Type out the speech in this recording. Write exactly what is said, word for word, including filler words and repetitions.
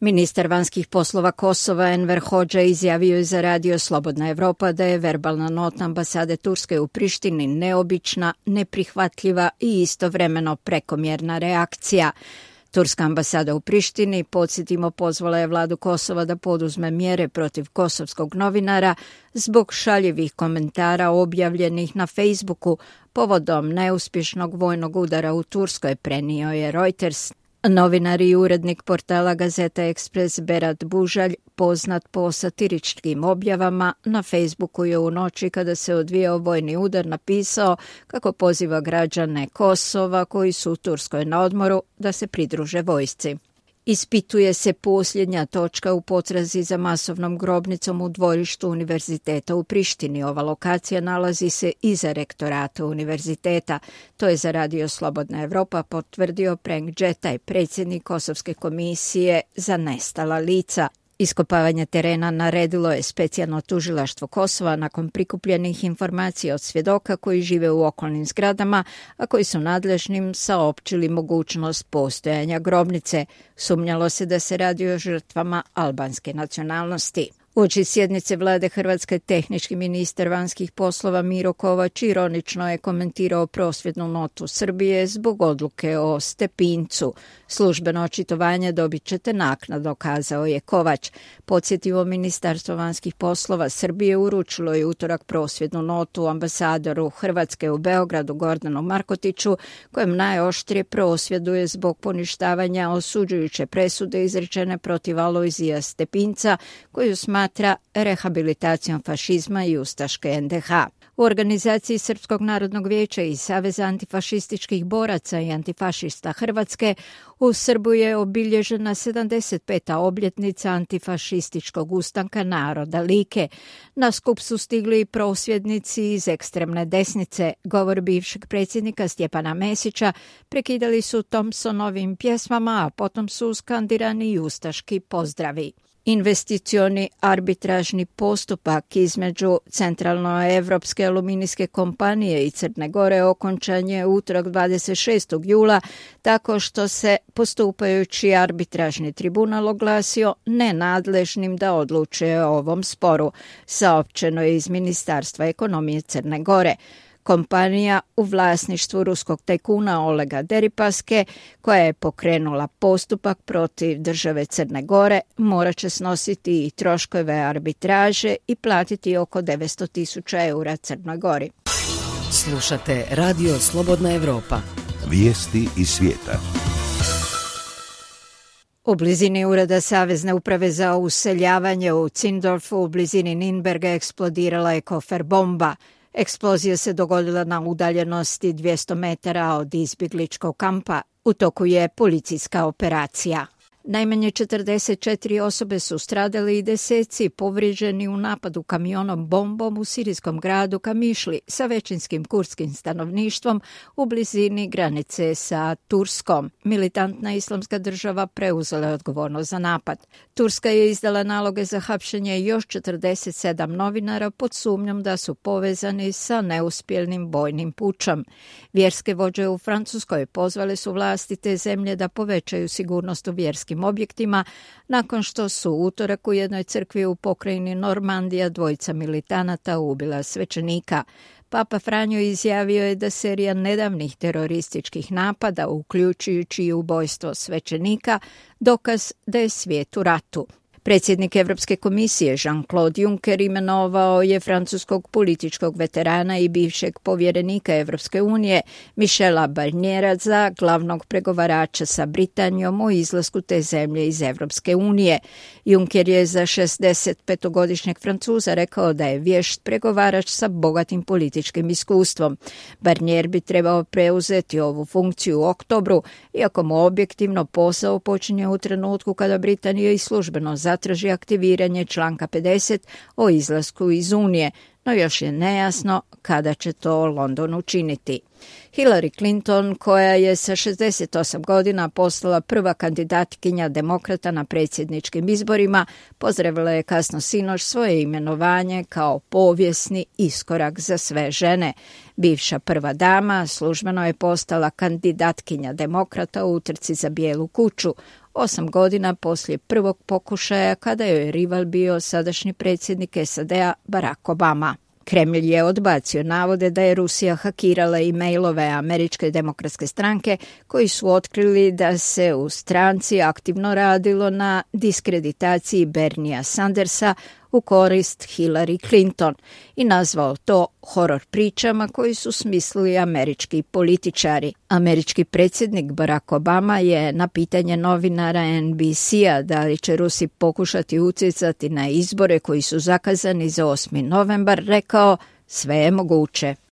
Ministar vanjskih poslova Kosova Enver Hodža izjavio je za radio Slobodna Evropa da je verbalna nota ambasade Turske u Prištini neobična, neprihvatljiva i istovremeno prekomjerna reakcija. Turska ambasada u Prištini, podsjetimo, pozvala je vladu Kosova da poduzme mjere protiv kosovskog novinara zbog šaljivih komentara objavljenih na Facebooku povodom neuspješnog vojnog udara u Turskoj, prenio je Reuters. Novinar i urednik portala Gazeta Ekspres Berat Bužalj, poznat po satiričkim objavama, na Facebooku je u noći kada se odvijao vojni udar napisao kako poziva građane Kosova koji su u Turskoj na odmoru da se pridruže vojsci. Ispituje se posljednja točka u potrazi za masovnom grobnicom u dvorištu univerziteta u Prištini. Ova lokacija nalazi se iza rektorata univerziteta. To je za radio Slobodna Evropa potvrdio Prenk Džetaj, predsjednik Kosovske komisije za nestala lica. Iskopavanje terena naredilo je specijalno tužilaštvo Kosova nakon prikupljenih informacija od svjedoka koji žive u okolnim zgradama, a koji su nadležnim saopćili mogućnost postojanja grobnice. Sumnjalo se da se radi o žrtvama albanske nacionalnosti. Uoči sjednice vlade Hrvatske, tehnički ministar vanjskih poslova Miro Kovač ironično je komentirao prosvjednu notu Srbije zbog odluke o Stepincu. Službeno očitovanje dobit ćete naknadno, kazao je Kovač. Podsjetimo, Ministarstvo vanjskih poslova Srbije uručilo je utorak prosvjednu notu ambasadoru Hrvatske u Beogradu Gordanu Markotiću, kojem najoštrije prosvjeduje zbog poništavanja osuđujuće presude izrečene protiv Alojzija Stepinca, koju smatra rehabilitacijom fašizma i ustaške en de ha. U organizaciji Srpskog narodnog vijeća i Saveza antifašističkih boraca i antifašista Hrvatske u Srbu je obilježena sedamdeset peta obljetnica antifašističkog ustanka naroda Like. Na skup su stigli prosvjednici iz ekstremne desnice. Govor bivšeg predsjednika Stjepana Mesića prekidali su Thompsonovim pjesmama, a potom su skandirani i ustaški pozdravi. Investicioni arbitražni postupak između Centralnoevropske aluminijske kompanije i Crne Gore okončan je utorak dvadeset šestog jula tako što se postupajući arbitražni tribunal oglasio nenadležnim da odlučuje o ovom sporu, saopćeno je iz Ministarstva ekonomije Crne Gore. Kompanija u vlasništvu ruskog tajkuna Olega Deripaske, koja je pokrenula postupak protiv države Crne Gore, morat će snositi i troškove arbitraže i platiti oko devetsto tisuća eura Crnoj Gori. Slušate Radio Slobodna Evropa. Vijesti iz svijeta. U blizini ureda Savezne uprave za useljavanje u Zindorfu u blizini Ninberga eksplodirala je kofer bomba. Eksplozija se dogodila na udaljenosti dvjesto metara od izbjegličkog kampa. U toku je policijska operacija. Najmanje četrdeset četiri osobe su stradali i deseci povrijeđeni u napadu kamionom bombom u sirijskom gradu Kamišli sa većinskim kurdskim stanovništvom u blizini granice sa Turskom. Militantna islamska država preuzela je odgovornost za napad. Turska je izdala naloge za hapšenje još četrdeset sedam novinara pod sumnjom da su povezani sa neuspjelnim bojnim pučom. Vjerske vođe u Francuskoj pozvale su vlasti te zemlje da povećaju sigurnost u vjerskim objektima nakon što su utorak u jednoj crkvi u pokrajini Normandija dvojica militanata ubila svećenika. Papa Franjo izjavio je da serija nedavnih terorističkih napada, uključujući i ubojstvo svećenika, dokaz da je svijet u ratu. Predsjednik Europske komisije Jean-Claude Juncker imenovao je francuskog političkog veterana i bivšeg povjerenika Europske unije Michela Barniera za glavnog pregovarača sa Britanijom o izlasku te zemlje iz Europske unije. Juncker je za šezdesetpetogodišnjeg Francuza rekao da je vješt pregovarač sa bogatim političkim iskustvom. Barnier bi trebao preuzeti ovu funkciju u oktobru, iako mu objektivno posao počinje u trenutku kada Britanija i službeno zatraži aktiviranje članka pedeset o izlasku iz Unije, no još je nejasno kada će to London učiniti. Hillary Clinton, koja je sa šezdeset osam godina postala prva kandidatkinja demokrata na predsjedničkim izborima, pozdravila je kasno sinoć svoje imenovanje kao povijesni iskorak za sve žene. Bivša prva dama službeno je postala kandidatkinja demokrata u utrci za Bijelu kuću. osam godina poslije prvog pokušaja kada je rival bio sadašnji predsjednik S A D-a Barack Obama. Kremlj je odbacio navode da je Rusija hakirala e-mailove Američke demokratske stranke koji su otkrili da se u stranci aktivno radilo na diskreditaciji Bernia Sandersa u korist Hillary Clinton i nazvao to horor pričama koji su smislili američki političari. Američki predsjednik Barack Obama je na pitanje novinara N B C-a da li će Rusi pokušati utjecati na izbore koji su zakazani za osmi novembar rekao: sve je moguće.